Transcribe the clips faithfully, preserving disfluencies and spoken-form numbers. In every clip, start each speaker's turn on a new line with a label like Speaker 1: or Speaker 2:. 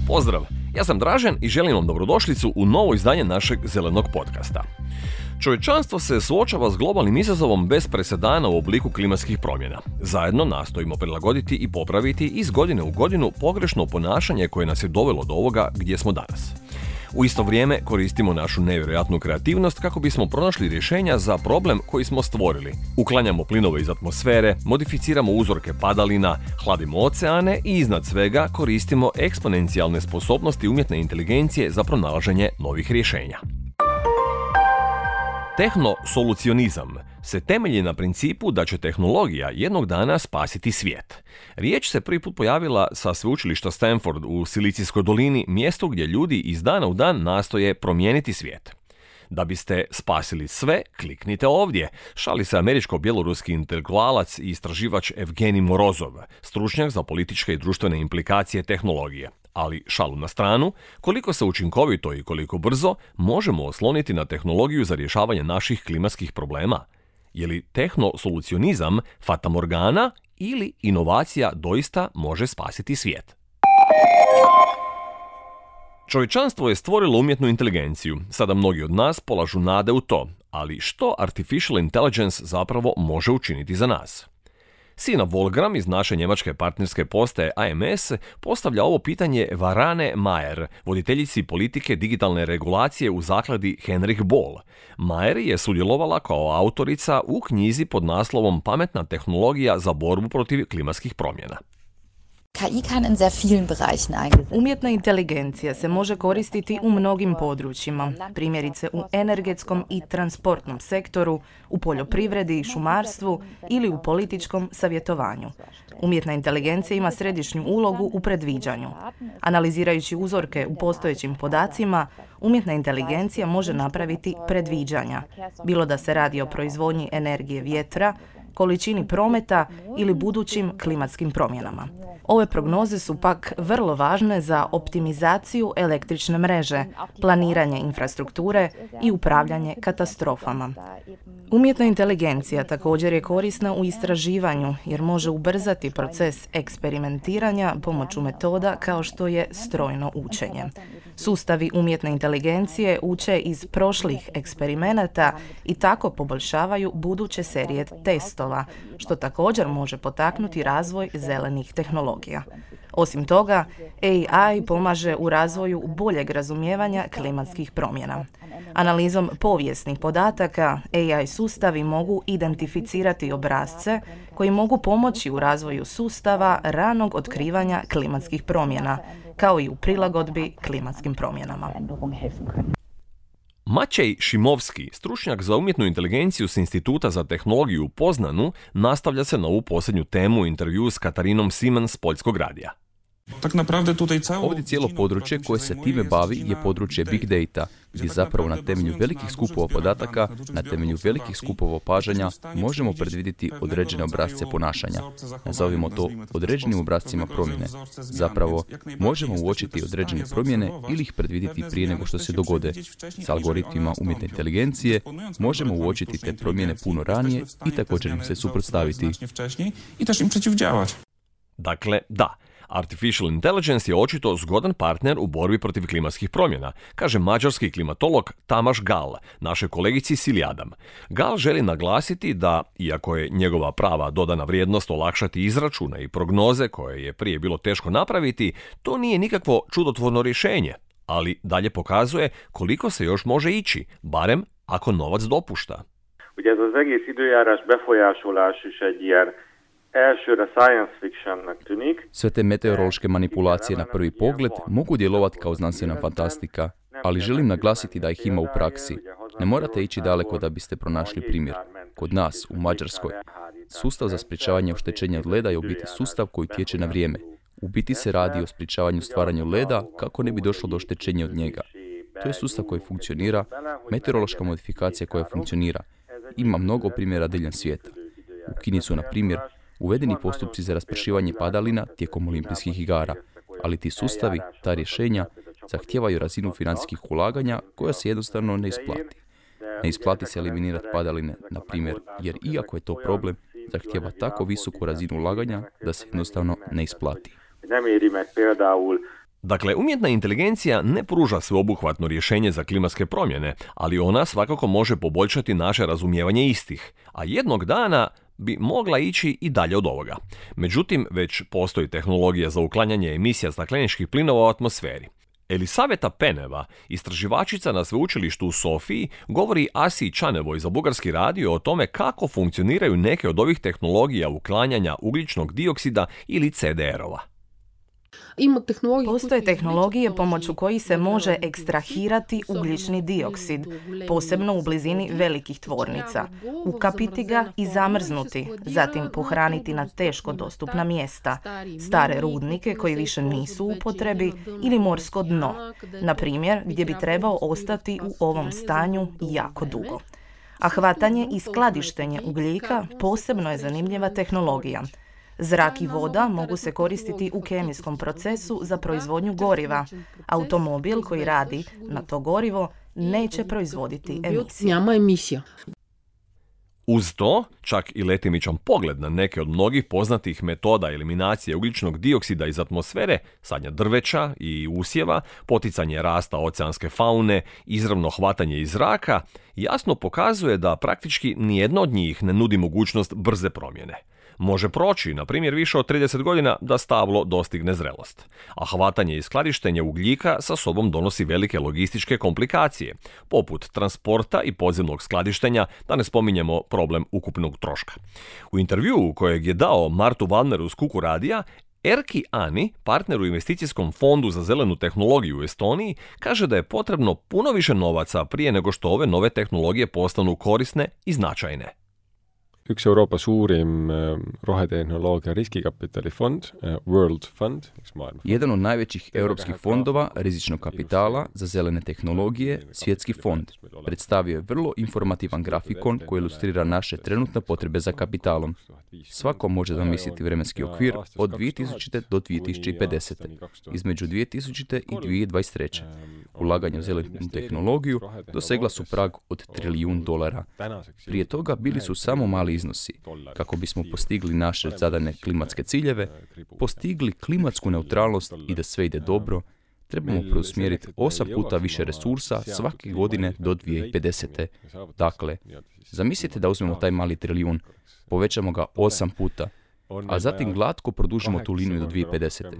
Speaker 1: Pozdrav, ja sam Dražen i želim vam dobrodošlicu u novo izdanje našeg zelenog podcasta. Čovječanstvo se suočava s globalnim izazovom bez presedana u obliku klimatskih promjena. Zajedno nastojimo prilagoditi i popraviti iz godine u godinu pogrešno ponašanje koje nas je dovelo do ovoga gdje smo danas. U isto vrijeme koristimo našu nevjerojatnu kreativnost kako bismo pronašli rješenja za problem koji smo stvorili. Uklanjamo plinove iz atmosfere, modificiramo uzorke padalina, hladimo oceane i iznad svega koristimo eksponencijalne sposobnosti umjetne inteligencije za pronalaženje novih rješenja. Tehnosolucionizam se temelji na principu da će tehnologija jednog dana spasiti svijet. Riječ se prvi put pojavila sa sveučilišta Stanford u Silicijskoj dolini, mjestu gdje ljudi iz dana u dan nastoje promijeniti svijet. Da biste spasili sve, kliknite ovdje, šali se američko-bjeloruski intelektualac i istraživač Evgenij Morozov, stručnjak za političke i društvene implikacije tehnologije. Ali šalu na stranu, koliko se učinkovito i koliko brzo možemo osloniti na tehnologiju za rješavanje naših klimatskih problema? Je li tehnosolucionizam fatamorgana ili inovacija doista može spasiti svijet? Čovječanstvo je stvorilo umjetnu inteligenciju. Sada mnogi od nas polažu nade u to. Ali što artificial intelligence zapravo može učiniti za nas? Sina Volgram iz naše njemačke partnerske postaje A M S postavlja ovo pitanje Varane Mayer, voditeljici politike digitalne regulacije u zakladi Henrik Boll. Mayer je sudjelovala kao autorica u knjizi pod naslovom Pametna tehnologija za borbu protiv klimatskih promjena.
Speaker 2: Umjetna inteligencija se može koristiti u mnogim područjima, primjerice u energetskom i transportnom sektoru, u poljoprivredi i šumarstvu ili u političkom savjetovanju. Umjetna inteligencija ima središnju ulogu u predviđanju. Analizirajući uzorke u postojećim podacima, umjetna inteligencija može napraviti predviđanja, bilo da se radi o proizvodnji energije vjetra, količini prometa ili budućim klimatskim promjenama. Ove prognoze su pak vrlo važne za optimizaciju električne mreže, planiranje infrastrukture i upravljanje katastrofama. Umjetna inteligencija također je korisna u istraživanju jer može ubrzati proces eksperimentiranja pomoću metoda kao što je strojno učenje. Sustavi umjetne inteligencije uče iz prošlih eksperimenata i tako poboljšavaju buduće serije testova, što također može potaknuti razvoj zelenih tehnologija. Osim toga, A I pomaže u razvoju boljeg razumijevanja klimatskih promjena. Analizom povijesnih podataka, A I sustavi mogu identificirati obrasce koji mogu pomoći u razvoju sustava ranog otkrivanja klimatskih promjena, kao i u prilagodbi klimatskim promjenama.
Speaker 1: Maciej Šimovski, stručnjak za umjetnu inteligenciju s Instituta za tehnologiju u Poznanu, nastavlja se na ovu posljednju temu u intervju s Katarinom Simon s Poljskog radija.
Speaker 3: Ovdje cijelo područje koje se time bavi je područje Big Data, gdje zapravo na temelju velikih skupova podataka, na temelju velikih skupova opažanja, možemo predvidjeti određene obrasce ponašanja. Nazovimo to određenim obrascima promjene. Zapravo, možemo uočiti određene promjene ili ih predvidjeti prije nego što se dogode. S algoritmima umjetne inteligencije možemo uočiti te promjene puno ranije i također im se suprotstaviti.
Speaker 1: Dakle, da. Artificial intelligence je očito zgodan partner u borbi protiv klimatskih promjena, kaže mađarski klimatolog Tamas Gal, našoj kolegici Silji Adam. Gal želi naglasiti da, iako je njegova prava dodana vrijednost olakšati izračune i prognoze koje je prije bilo teško napraviti, to nije nikakvo čudotvorno rješenje, ali dalje pokazuje koliko se još može ići, barem ako novac dopušta.
Speaker 4: Ugye ez az egész időjárás befolyásolás is egy ilyen elsőre science fictionnak tűnik.
Speaker 3: Sve te meteorološke manipulacije na prvi pogled mogu djelovati kao znanstvena fantastika, ali želim naglasiti da ih ima u praksi. Ne morate ići daleko da biste pronašli primjer. Kod nas, u Mađarskoj, sustav za sprječavanje oštećenja od leda je u biti sustav koji tječe na vrijeme. U biti se radi o sprječavanju stvaranja leda kako ne bi došlo do oštećenja od njega. To je sustav koji funkcionira, meteorološka modifikacija koja funkcionira. Ima mnogo primjera diljem svijeta. U Kini su, na primjer, uvedeni postupci za raspršivanje padalina tijekom olimpijskih igara, ali ti sustavi, ta rješenja, zahtijevaju razinu financijskih ulaganja koja se jednostavno ne isplati. Ne isplati se eliminirati padaline, na primjer, jer iako je to problem, zahtijeva tako visoku razinu ulaganja da se jednostavno ne isplati.
Speaker 4: Nem éri meg például
Speaker 1: Dakle, umjetna inteligencija ne pruža sveobuhvatno rješenje za klimatske promjene, ali ona svakako može poboljšati naše razumijevanje istih, a jednog dana bi mogla ići i dalje od ovoga. Međutim, već postoji tehnologija za uklanjanje emisija stakleničkih plinova u atmosferi. Elisaveta Peneva, istraživačica na sveučilištu u Sofiji, govori Asiji Čanevoj za Bugarski radio o tome kako funkcioniraju neke od ovih tehnologija uklanjanja ugljičnog dioksida ili C D R-ova.
Speaker 2: Postoje tehnologije pomoću kojih se može ekstrahirati ugljični dioksid, posebno u blizini velikih tvornica, ukapiti ga i zamrznuti, zatim pohraniti na teško dostupna mjesta, stare rudnike koji više nisu u upotrebi ili morsko dno, na primjer gdje bi trebao ostati u ovom stanju jako dugo. A hvatanje i skladištenje ugljika posebno je zanimljiva tehnologija. Zrak i voda mogu se koristiti u kemijskom procesu za proizvodnju goriva. Automobil koji radi na to gorivo neće proizvoditi emisije.
Speaker 1: Uz to, čak i letimičan pogled na neke od mnogih poznatih metoda eliminacije ugljičnog dioksida iz atmosfere, sadnja drveća i usjeva, poticanje rasta oceanske faune, izravno hvatanje iz zraka, jasno pokazuje da praktički nijedno od njih ne nudi mogućnost brze promjene. Može proći, na primjer, više od trideset godina da stablo dostigne zrelost. A hvatanje i skladištenje ugljika sa sobom donosi velike logističke komplikacije, poput transporta i podzemnog skladištenja, da ne spominjemo problem ukupnog troška. U intervjuu kojeg je dao Martu Valmeru s Kuku radija, Erki Ani, partner u investicijskom fondu za zelenu tehnologiju u Estoniji, kaže da je potrebno puno više novaca prije nego što ove nove tehnologije postanu korisne i značajne.
Speaker 5: Üks Euroopa suurim rohetehnoloogia riskikapitali fond, World Fund.
Speaker 3: Jedan od najvećih europskih fondova rizičnog kapitala za zelene tehnologije, Svjetski fond, predstavio je vrlo informativan grafikon koji ilustrira naše trenutne potrebe za kapitalom. Svako može zamisliti vremenski okvir od dvije tisućite do dvije tisuće pedeset. Između dvije tisućite i dvije tisuće dvadeset treće. Ulaganje u zelenu tehnologiju dosegla su prag od trilijun dolara. Prije toga bili su samo mali iznosi. Kako bismo postigli naše zadane klimatske ciljeve, postigli klimatsku neutralnost i da sve ide dobro, trebamo preusmjeriti osam puta više resursa svake godine do dvije tisuće pedesete. Dakle, zamislite da uzmemo taj mali trilijun, povećamo ga osam puta, a zatim glatko produžimo tu liniju do dvije tisuće pedesete.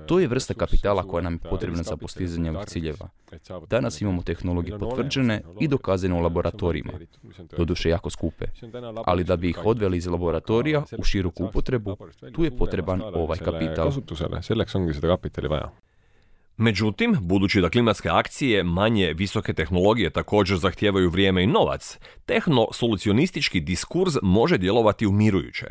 Speaker 3: To je vrsta kapitala koja nam je potrebna za postizanje ovih ciljeva. Danas imamo tehnologije potvrđene i dokazane u laboratorijima, doduše jako skupe, ali da bi ih odveli iz laboratorija u široku upotrebu, tu je potreban ovaj kapital.
Speaker 1: Međutim, budući da klimatske akcije manje visoke tehnologije također zahtijevaju vrijeme i novac, tehno-solucionistički diskurs može djelovati umirujuće.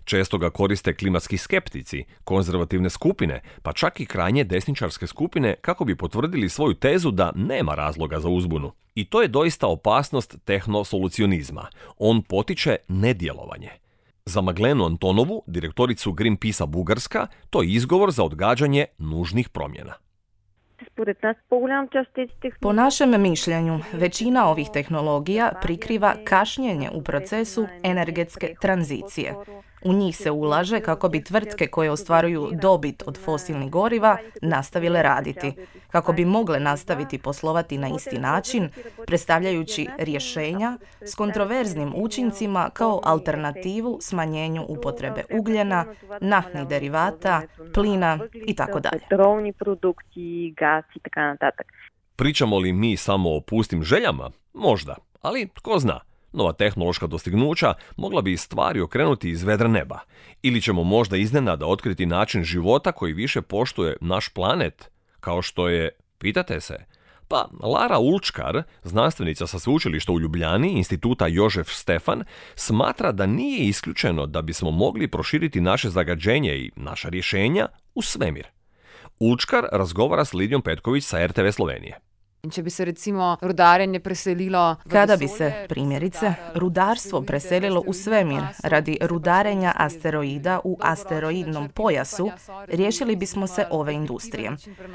Speaker 1: Često ga koriste klimatski skeptici, konzervativne skupine, pa čak i krajnje desničarske skupine kako bi potvrdili svoju tezu da nema razloga za uzbunu. I to je doista opasnost tehno-solucionizma. On potiče nedjelovanje. Za Maglenu Antonovu, direktoricu Greenpeace-a Bugarska, to je izgovor za odgađanje nužnih promjena.
Speaker 2: Po našem mišljenju, većina ovih tehnologija prikriva kašnjenje u procesu energetske tranzicije. U njih se ulaže kako bi tvrtke koje ostvaruju dobit od fosilnih goriva nastavile raditi, kako bi mogle nastaviti poslovati na isti način, predstavljajući rješenja s kontroverznim učincima kao alternativu smanjenju upotrebe ugljena, naftnih derivata, plina i tako dalje.
Speaker 1: Pričamo li mi samo o pustim željama? Možda, ali tko zna. Nova tehnološka dostignuća mogla bi stvari okrenuti iz vedra neba. Ili ćemo možda iznenada otkriti način života koji više poštuje naš planet, kao što je, pitate se, pa Lara Ulčkar, znanstvenica sa sveučilišta u Ljubljani, instituta Jožef Stefan, smatra da nije isključeno da bismo mogli proširiti naše zagađenje i naša rješenja u svemir. Ulčkar razgovara s Lidijom Petković sa R T V Slovenije.
Speaker 6: Če bi se recimo rudarenje preselilo v
Speaker 2: Kada bi
Speaker 6: vesolje,
Speaker 2: se, primjerice, rudarstvo preselilo u svemir radi rudarenja asteroida u asteroidnom pojasu, riješili bismo se ove industrije.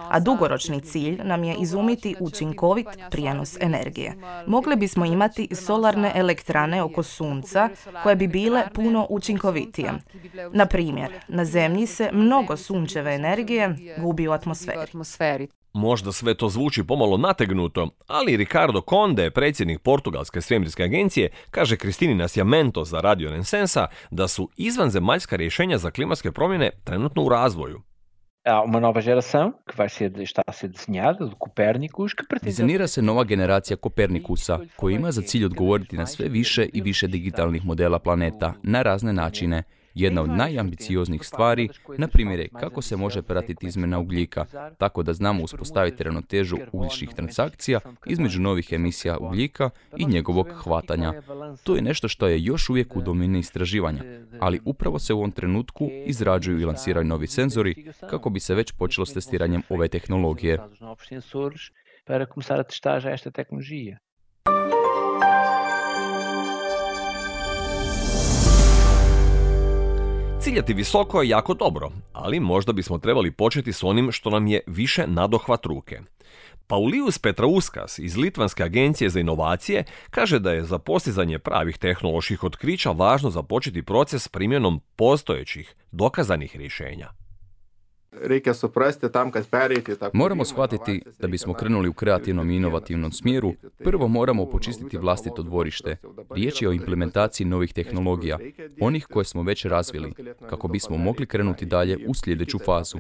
Speaker 2: A dugoročni cilj nam je izumiti učinkovit prijenos energije. Mogli bismo imati solarne elektrane oko sunca koje bi bile puno učinkovitije. Na primjer, na Zemlji se mnogo sunčeve energije gubi u atmosferi.
Speaker 1: Možda sve to zvuči pomalo nategnuto, ali Ricardo Conde, predsjednik Portugalske svemirske agencije, kaže Kristini Nascimento za Radio Rensensa da su izvanzemaljska rješenja za klimatske promjene trenutno u razvoju.
Speaker 7: Há uma nova geração que vai ser, está a ser desenhada, do Copérnicus, que pretende...
Speaker 3: Dizajnira se nova generacija Kopernikusa, koja ima za cilj odgovoriti na sve više i više digitalnih modela planeta na razne načine. Jedna od najambicioznijih stvari, na primjer, je kako se može pratiti izmjena ugljika, tako da znamo uspostaviti ravnotežu ugljičnih transakcija između novih emisija ugljika i njegovog hvatanja. To je nešto što je još uvijek u domeni istraživanja, ali upravo se u ovom trenutku izrađuju i lansiraju novi senzori kako bi se već počelo s testiranjem ove tehnologije.
Speaker 7: Para começar a testar já esta tecnologia.
Speaker 1: Ciljati visoko je jako dobro, ali možda bismo trebali početi s onim što nam je više nadohvat ruke. Paulijus Petrauskas iz Litvanske agencije za inovacije kaže da je za postizanje pravih tehnoloških otkrića važno započeti proces primjenom postojećih, dokazanih rješenja.
Speaker 3: Moramo shvatiti da bismo krenuli u kreativnom i inovativnom smjeru, prvo moramo počistiti vlastito dvorište. Riječ je o implementaciji novih tehnologija, onih koje smo već razvili, kako bismo mogli krenuti dalje u sljedeću fazu.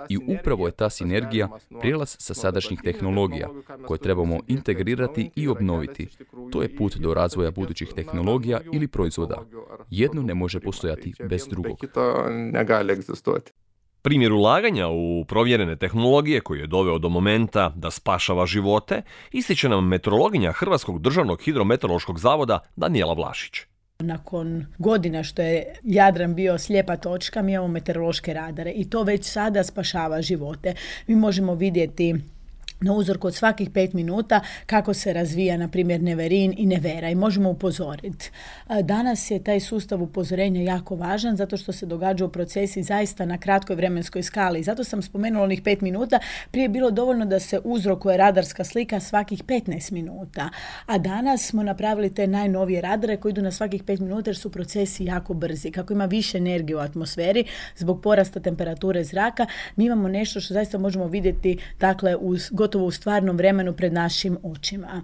Speaker 3: I upravo je ta sinergija prijelaz sa sadašnjih tehnologija, koje trebamo integrirati i obnoviti. To je put do razvoja budućih tehnologija ili proizvoda. Jedno ne može postojati bez drugog.
Speaker 1: Primjer ulaganja u provjerene tehnologije koji je doveo do momenta da spašava živote ističe nam meteorologinja Hrvatskog državnog hidrometeorološkog zavoda Danijela Vlašić.
Speaker 8: Nakon godina što je Jadran bio slijepa točka, mi imamo meteorološke radare i to već sada spašava živote. Mi možemo vidjeti na uzorku od svakih pet minuta kako se razvija, na primjer, Neverin i Nevera i možemo upozoriti. Danas je taj sustav upozorenja jako važan zato što se događaju procesi zaista na kratkoj vremenskoj skali. Zato sam spomenula onih pet minuta. Prije je bilo dovoljno da se uzrokuje radarska slika svakih petnaest minuta. A danas smo napravili te najnovije radare koji idu na svakih pet minuta jer su procesi jako brzi. Kako ima više energije u atmosferi zbog porasta temperature zraka, mi imamo nešto što zaista možemo vidjeti, dakle, uz gotovo u stvarnom vremenu pred našim očima.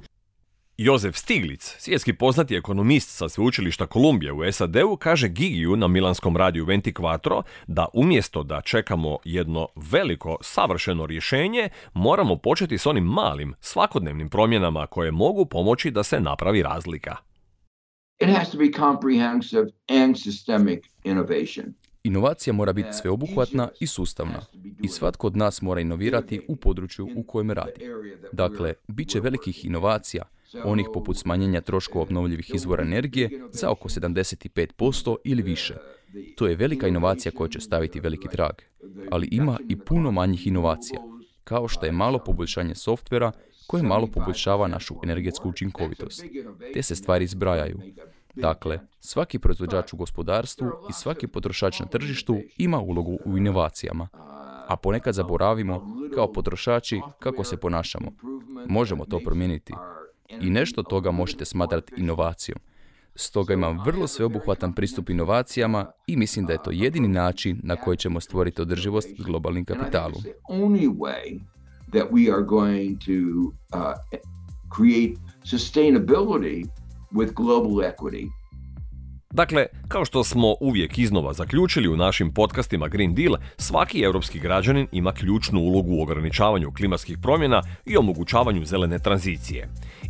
Speaker 1: Josef Stiglic, svjetski poznati ekonomist sa sveučilišta Kolumbije u S A D-u, kaže Gigiju na milanskom radiju ventiquattro da umjesto da čekamo jedno veliko, savršeno rješenje, moramo početi s onim malim, svakodnevnim promjenama koje mogu pomoći da se napravi razlika.
Speaker 9: It has to be comprehensive and systemic innovation.
Speaker 3: Inovacija mora biti sveobuhvatna i sustavna i svatko od nas mora inovirati u području u kojem radi. Dakle, bit će velikih inovacija, onih poput smanjenja troškova obnovljivih izvora energije za oko sedamdeset pet posto ili više. To je velika inovacija koja će staviti veliki trag, ali ima i puno manjih inovacija, kao što je malo poboljšanje softvera koje malo poboljšava našu energetsku učinkovitost. Te se stvari zbrajaju. Dakle, svaki proizvođač u gospodarstvu i svaki potrošač na tržištu ima ulogu u inovacijama. A ponekad zaboravimo, kao potrošači, kako se ponašamo. Možemo to promijeniti. I nešto toga možete smatrati inovacijom. Stoga imam vrlo sveobuhvatan pristup inovacijama i mislim da je to jedini način na koji ćemo stvoriti održivost s globalnim kapitalom.
Speaker 9: That we are going to uh, create sustainability with global equity.
Speaker 1: Dakle, kao što smo uvijek iznova zaključili u našim podcastima Green Deal, svaki europski građanin ima ključnu ulogu u ograničavanju klimatskih promjena i omogućavanju zelene tranzicije.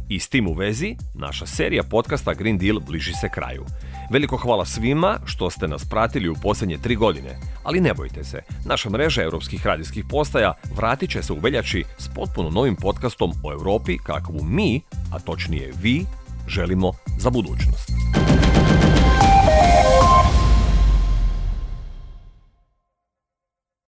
Speaker 1: I s tim u vezi, naša serija podcasta Green Deal bliži se kraju. Veliko hvala svima što ste nas pratili u posljednje tri godine, ali ne bojte se, naša mreža europskih radijskih postaja vratit će se u veljači s potpuno novim podcastom o Europi kakvu mi, a točnije vi, želimo za budućnost.